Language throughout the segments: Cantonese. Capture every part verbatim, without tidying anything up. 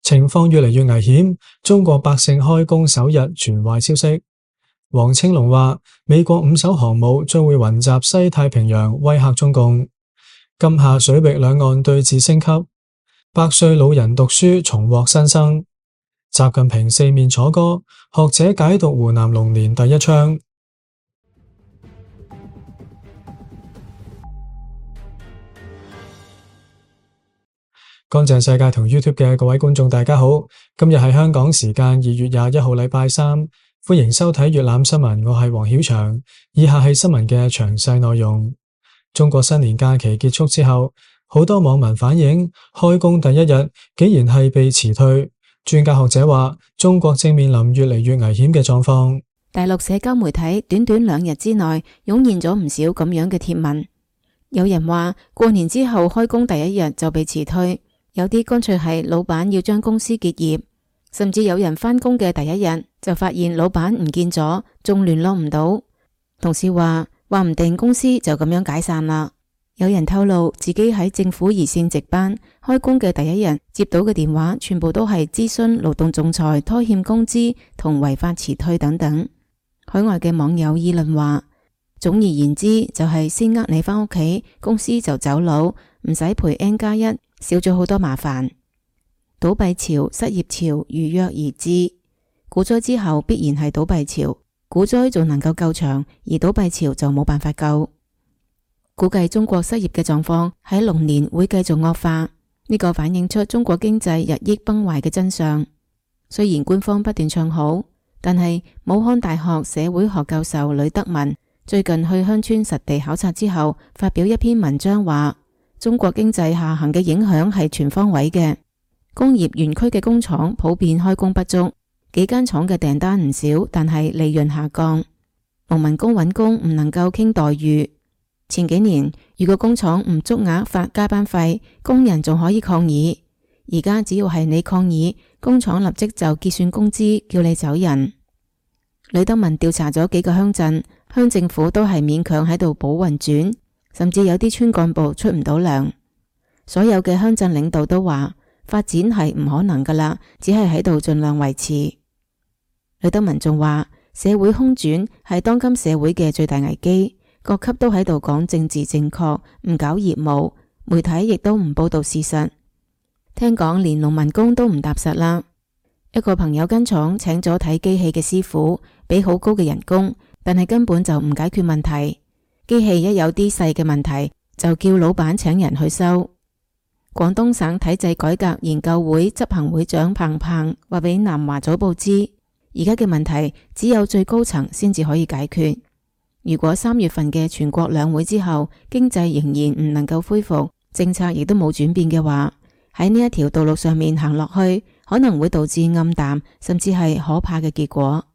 情況越嚟越危險，中國百姓開工首日傳壞消息。黃青龍話，美國五艘航母將會雲集西太平洋，威嚇中共。今夏水域兩岸對峙升級，百歲老人讀書重獲新生。習近平四面楚歌，學者解讀湖南龍年第一槍。乾淨世界同 YouTube 嘅各位觀眾大家好，今日係香港時間二月廿一號禮拜三，歡迎收睇粵覽新聞，我係黃曉翔。以下係新聞嘅詳細內容。中國新年假期結束之後，好多網民反映開工第一日竟然係被辭退。專家學者話，中國正面臨越嚟越危險嘅狀況。大陸社交媒體短短兩日之內湧現咗唔少咁樣嘅貼文，有人話過年之後開工第一日就被辭退。有啲乾脆係老闆要將公司結業，甚至有人返工嘅第一日就發現老闆唔見咗，仲聯絡唔到。同事話話唔定公司就咁樣解散啦。有人透露自己喺政府熱線值班，開工嘅第一日接到嘅電話全部都係諮詢勞動仲裁、拖欠工資同違法辭退等等。海外嘅網友議論話，總而言之就係先呃你返屋企，公司就走佬，唔使賠 N 加一。少咗好多麻煩。倒閉潮、失業潮如約而至，股災之後必然係倒閉潮，股災仲能夠救場，而倒閉潮就冇辦法救。估計中國失業嘅狀況喺龍年會繼續惡化，呢個反映出中國經濟日益崩壞嘅真相。雖然官方不斷唱好，但係武漢大學社會學教授呂德文最近去鄉村實地考察之後，發表一篇文章話，中國經濟下行嘅影響係全方位嘅，工業園區嘅工廠普遍開工不足，幾間廠嘅訂單唔少，但係利潤下降。農民工揾工唔能夠傾待遇。前幾年如果工廠唔足額發加班費，工人仲可以抗議，而家只要係你抗議，工廠立即就結算工資，叫你走人。呂德文調查咗幾個鄉鎮，鄉政府都係勉強喺度補運轉，甚至有啲村幹部出唔到糧。所有嘅鄉鎮領導都話發展係唔可能噶啦，只係喺度盡量維持。呂德文仲話，社會空轉係當今社會嘅最大危機，各級都喺度講政治正確，唔搞業務，媒體亦都唔報道事實。聽講連農民工都唔踏實啦。一個朋友間廠請咗睇機器嘅師傅，俾好高嘅人工，但係根本就唔解決問題。機器一有啲細嘅問題，就叫老闆請人去修。廣東省體制改革研究會執行會長彭鵬話俾南華早報知，而家嘅問題只有最高層先至可以解決。如果三月份嘅全國兩會之後，經濟仍然唔能夠恢復，政策亦都冇轉變嘅話，喺呢一條道路上面行落去，可能會導致暗淡，甚至係可怕嘅結果。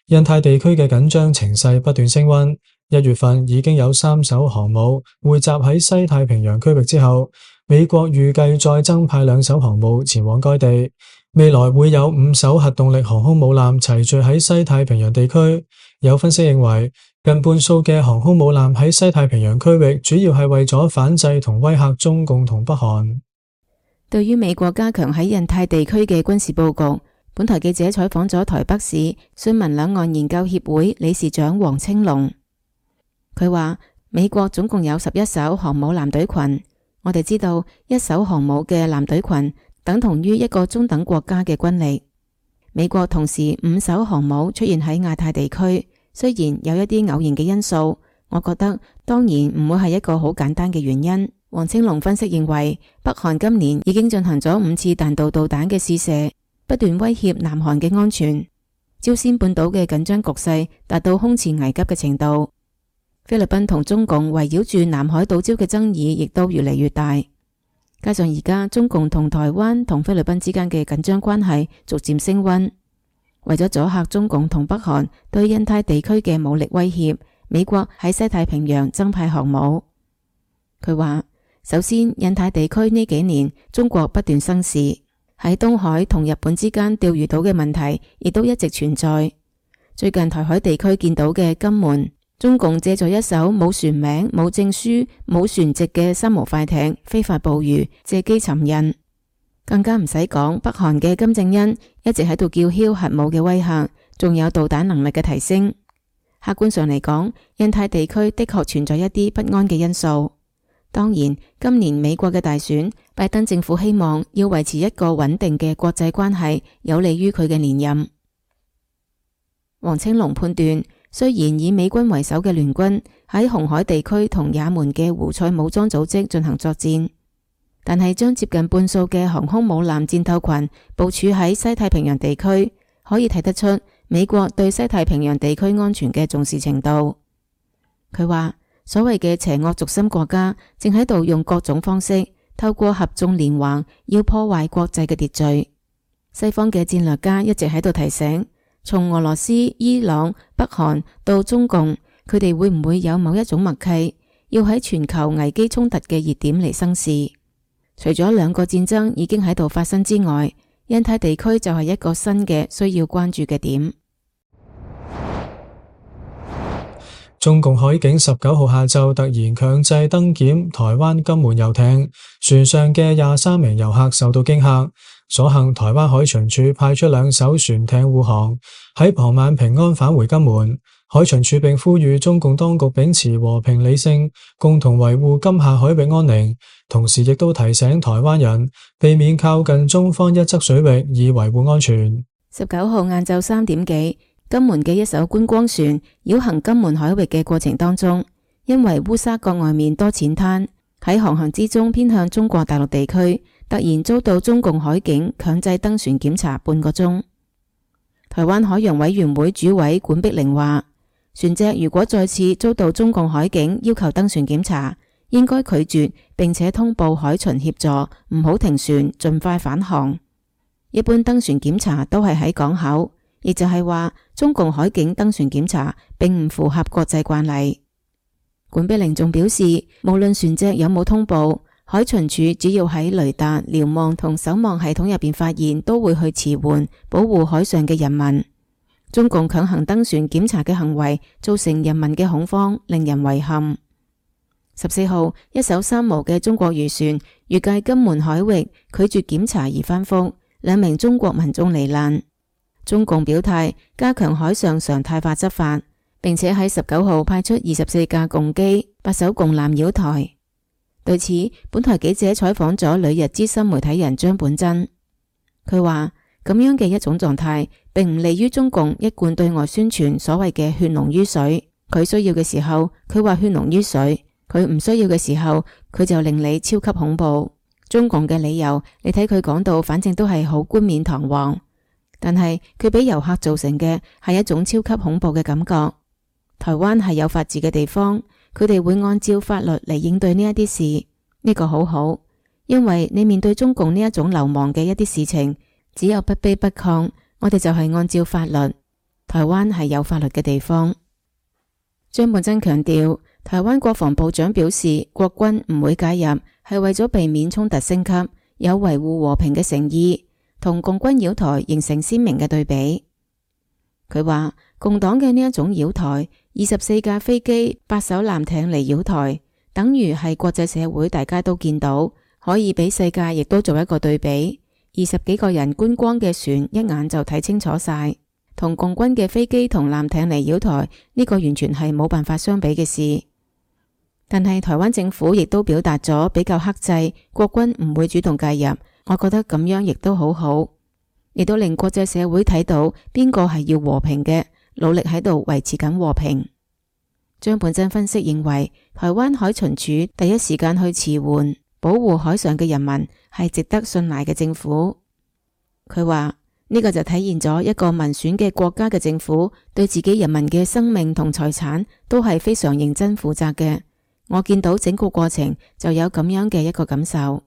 印太地區嘅緊張情勢不斷升溫，一月份已經有三艘航母匯集喺西太平洋區域之後，美國預計再增派兩艘航母前往該地，未來會有五艘核動力航空母艦齊聚喺西太平洋地區。有分析認為，近半數嘅航空母艦喺西太平洋區域主要係為咗反制同威嚇中共同北韓。對於美國加強喺印太地區嘅軍事佈局，本台記者採訪咗台北市詢問兩岸研究協會理事長黃青龍，佢話美國總共有十一艘航母艦隊群，我哋知道一艘航母嘅艦隊群等同於一個中等國家嘅軍力。美國同時五艘航母出現喺亞太地區，雖然有一啲偶然嘅因素，我覺得當然唔會係一個好簡單嘅原因。黃青龍分析認為，北韓今年已經進行咗五次彈道導彈嘅試射，不斷威脅南韓嘅安全。朝鮮半島嘅緊張局勢達到空前危急嘅程度。菲律賓同中共圍繞住南海島礁嘅爭議亦都越嚟越大，加上而家中共同台灣同菲律賓之間嘅緊張關係逐漸升溫，為咗阻嚇中共同北韓對印太地區嘅武力威脅，美國喺西太平洋增派航母。佢話，首先印太地區呢幾年中國不斷生事，喺東海同日本之間釣魚島嘅問題亦都一直存在。最近台海地區見到嘅金門、中共借助一艘冇船名、冇證書、冇船籍嘅三無快艇非法捕魚，借機尋釁。更加唔使講，北韓嘅金正恩一直喺度叫囂核武嘅威嚇，仲有導彈能力嘅提升。客觀上嚟講，印太地區的確存在一啲不安嘅因素。當然，今年美國嘅大選，拜登政府希望要維持一個穩定嘅國際關係，有利於佢嘅連任。黃青龍判斷，雖然以美軍為首嘅聯軍喺紅海地區同也門嘅胡塞武裝組織進行作戰，但係將接近半數嘅航空母艦戰鬥群部署喺西太平洋地區，可以睇得出美國對西太平洋地區安全嘅重視程度。佢話，所謂嘅邪惡軸心國家正喺度用各種方式透過合縱連橫，要破壞國際嘅秩序。西方嘅戰略家一直喺度提醒，從俄羅斯、伊朗、北韓到中共，佢哋會唔會有某一種默契，要喺全球危機衝突嘅熱點嚟生事？除咗兩個戰爭已經喺度發生之外，印太地區就係一個新嘅需要關注嘅點。中共海警十九號下晝突然強制登檢台灣金門遊艇，船上嘅廿三名遊客受到驚嚇，所幸台灣海巡署派出兩艘船艇護航，喺傍晚平安返回金門。海巡署並呼籲中共當局秉持和平理性，共同維護金廈海域安寧，同時亦都提醒台灣人避免靠近中方一側水域，以維護安全。十九號晏晝三點幾，金門嘅一艘觀光船繞行金門海域嘅過程當中，因為烏沙角外面多淺灘，喺航行之中偏向中國大陸地區，突然遭到中共海警強制登船檢查半個鐘。台灣海洋委員會主委管碧玲話，船隻如果再次遭到中共海警要求登船檢查，應該拒絕並且通報海巡協助，唔好停船，盡快返航。一般登船檢查都係喺港口，亦就係話中共海警登船檢查並唔符合國際慣例。管碧玲仲表示，無論船隻有冇通報，海巡署只要喺雷達、瞭望同守望系統入邊發現，都會去遲緩，保護海上嘅人民。中共強行登船檢查嘅行為造成人民嘅恐慌，令人遺憾。十四號，一艘三無嘅中國漁船越界金門海域，拒絕檢查而翻覆，兩名中國民眾罹難。中共表態加強海上常態化執法，並且喺十九號派出二十四架共機、八艘共艦繞台。對此，本台記者採訪咗旅日資深媒體人張本真，佢話咁樣嘅一種狀態，並唔利於中共一貫對外宣傳所謂嘅血濃於水。佢需要嘅時候，佢話血濃於水；佢唔需要嘅時候，佢就令你超級恐怖。中共嘅理由，你睇佢講到，反正都係好冠冕堂皇，但係佢俾遊客造成嘅係一種超級恐怖嘅感覺。台灣係有法治嘅地方，佢哋會按照法律嚟應對呢一啲事，呢個好好，因為你面對中共呢一種流氓嘅一啲事情，只有不卑不亢，我哋就係按照法律。台灣係有法律嘅地方。張本真強調，台灣國防部長表示，國軍唔會介入，係為咗避免衝突升級，有維護和平嘅誠意，同共軍擾台形成鮮明嘅對比。佢話，共黨嘅呢一種擾台，二十四架飛機、八艘艦艇嚟擾台，等於係國際社會大家都見到，可以俾世界亦都做一個對比。二十幾個人觀光嘅船，一眼就睇清楚晒，同共軍嘅飛機同艦艇嚟擾台，呢個完全係冇辦法相比嘅事。但係台灣政府亦都表達咗比較克制，國軍唔會主動介入，我覺得咁樣亦都好好，亦都令國際社會睇到邊個係要和平嘅，努力喺度維持緊和平。張本真分析認為，台灣海巡署第一時間去遲緩保護海上嘅人民，係值得信賴嘅政府。佢話呢個就體現咗一個民選嘅國家嘅政府對自己人民嘅生命同財產都係非常認真負責嘅。我見到整個過程就有咁樣嘅一個感受。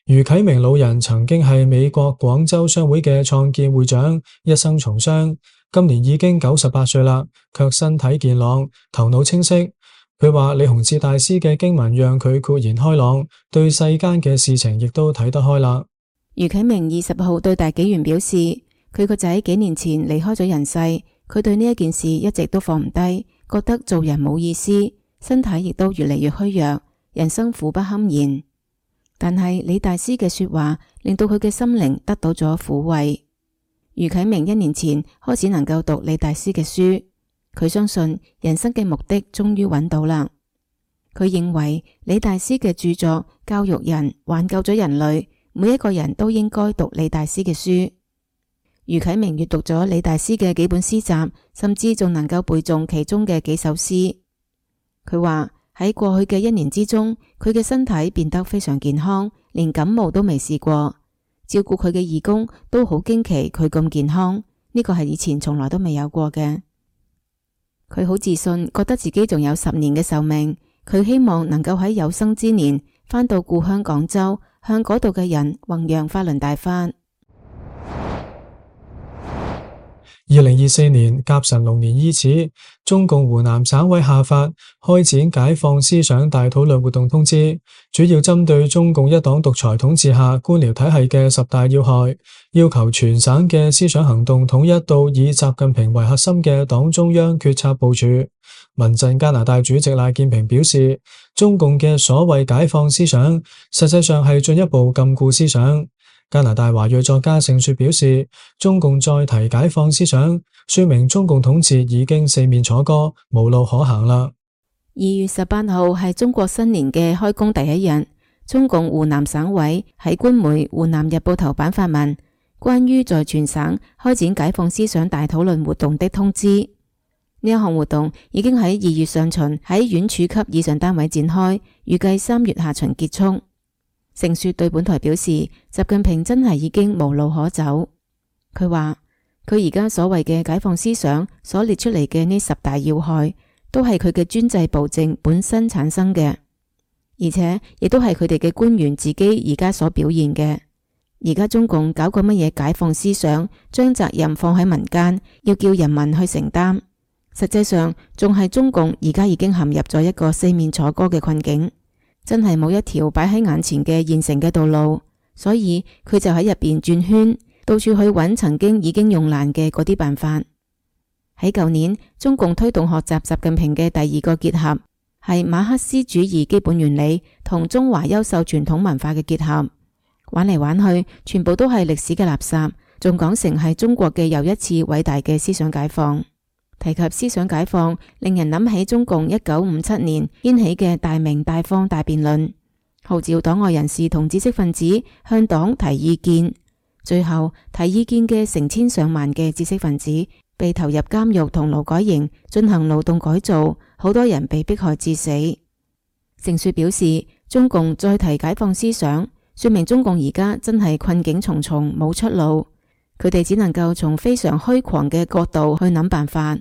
余啟明老人曾經係美國廣州商會嘅創建會長，一生從商，今年已經九十八歲啦，卻身體健朗，頭腦清晰。佢話李洪志大師嘅經文讓佢豁然開朗，對世間嘅事情亦都睇得開啦。余啟明二十號對大紀元表示，佢個仔幾年前離開咗人世，佢對呢一件事一直都放唔低，覺得做人冇意思，身體亦都越嚟越虛弱，人生苦不堪言。但係李大師嘅說話令到佢嘅心靈得到咗撫慰。余啟明一年前開始能夠讀李大師嘅書，佢相信人生嘅目的終於揾到啦。佢認為李大師嘅著作教育人，挽救咗人類，每一個人都應該讀李大師嘅書。余啟明閱讀咗李大師嘅幾本詩集，甚至仲能夠背誦其中嘅幾首詩。佢話喺過去嘅一年之中，佢嘅身體變得非常健康，連感冒都未試過。照顧佢嘅義工都好驚奇佢咁健康，呢個係以前從來都未有過嘅。佢好自信，覺得自己仲有十年嘅壽命。佢希望能夠喺有生之年返到故鄉廣州，向嗰度嘅人弘揚法輪大法。二零二四年甲辰龍年伊始，中共湖南省委下發開展解放思想大討論活動通知，主要針對中共一黨獨裁統治下官僚體系嘅十大要害，要求全省嘅思想行動統一到以習近平為核心嘅黨中央決策部署。民陣加拿大主席賴建平表示，中共嘅所謂解放思想，實際上係進一步禁錮思想。加拿大華裔作家盛雪表示，中共再提解放思想，說明中共統治已經四面楚歌，無路可行啦。二月十八號係中國新年嘅開工第一日，中共湖南省委喺官媒《湖南日報》頭版發文，關於在全省開展解放思想大討論活動的通知。呢一項活動已經喺二月上旬喺縣處級以上單位展開，預計三月下旬結束。盛雪對本台表示，習近平真係已經無路可走。佢話佢而家所謂嘅解放思想所列出嚟嘅呢十大要害，都係佢嘅專制暴政本身產生嘅，而且亦都係佢哋嘅官員自己而家所表現嘅。而家中共搞個乜嘢解放思想，將責任放喺民間，要叫人民去承擔，實際上仲係中共而家已經陷入咗一個四面楚歌嘅困境。真係冇一條擺喺眼前嘅現成嘅道路，所以佢就喺入邊轉圈，到處去揾曾經已經用爛嘅嗰啲辦法。喺舊年，中共推動學習習近平嘅第二個結合，係馬克思主義基本原理同中華優秀傳統文化嘅結合。玩嚟玩去，全部都係歷史嘅垃圾，仲講成係中國嘅又一次偉大嘅思想解放。提及思想解放，令人諗起中共一九五七年掀起嘅大鳴大放大辯論，號召黨外人士同知識分子向黨提意見。最後提意見嘅成千上萬嘅知識分子被投入監獄同勞改營進行勞動改造，好多人被迫害致死。盛雪表示，中共再提解放思想，說明中共而家真係困境重重，冇出路。佢哋只能夠從非常虛狂嘅角度去諗辦法。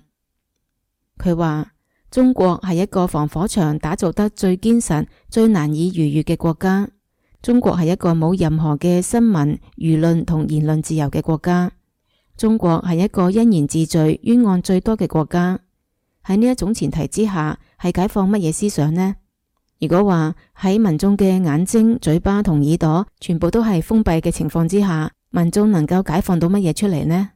佢話中國係一個防火牆打造得最堅實、最難以逾越嘅國家。中國係一個冇任何嘅新聞、輿論同言論自由嘅國家。中國係一個因言治罪、冤案最多嘅國家。喺呢一種前提之下，係解放乜嘢思想呢？如果話喺民眾嘅眼睛、嘴巴同耳朵全部都係封閉嘅情況之下，民眾能夠解放到乜嘢出嚟呢？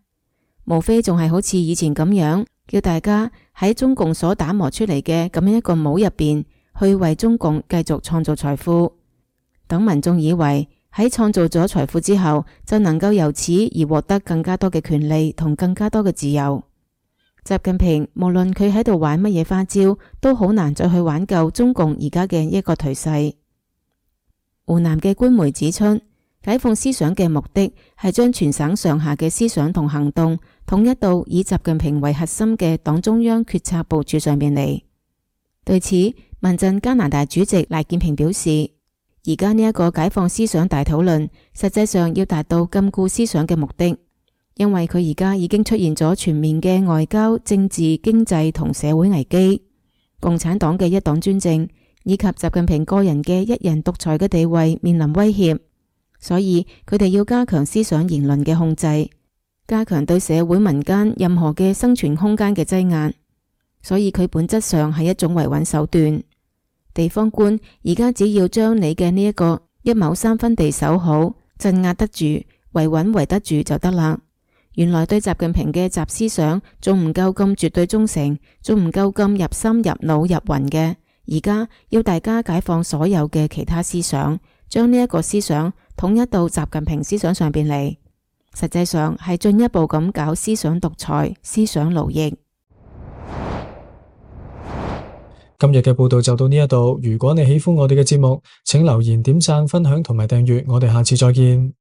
無非仲係好似以前咁樣，叫大家喺中共所打磨出嚟嘅咁樣一個帽入邊，去為中共繼續創造財富。等民眾以為喺創造咗財富之後，就能夠由此而獲得更加多嘅權利同更加多嘅自由。習近平無論佢喺度玩乜嘢花招，都好難再去挽救中共而家嘅一個頹勢。湖南嘅官媒指出，解放思想嘅目的係將全省上下嘅思想同行動統一到以習近平為核心嘅黨中央決策部署上面嚟。對此，民陣加拿大主席賴建平表示，而家呢一個解放思想大討論，實際上要達到禁錮思想嘅目的，因為佢而家已經出現咗全面嘅外交、政治、經濟同社會危機，共產黨嘅一黨專政以及習近平個人嘅一人獨裁嘅地位面臨威脅。所以佢哋要加強思想言論嘅控制，加強對社會民間任何嘅生存空間嘅擠壓。所以佢本質上係一種維穩手段。地方官而家只要將你嘅呢一個一畝三分地守好，鎮壓得住，維穩維得住就得啦。原來對習近平嘅習思想仲唔夠咁絕對忠誠，仲唔夠咁入心入腦入魂嘅。而家要大家解放所有嘅其他思想，將呢一個思想統一到習近平思想上邊嚟，實際上係進一步咁搞思想獨裁、思想奴役。今日嘅報道就到呢一度，如果你喜歡我哋嘅節目，請留言、點讚、分享同埋訂閱，我哋下次再見。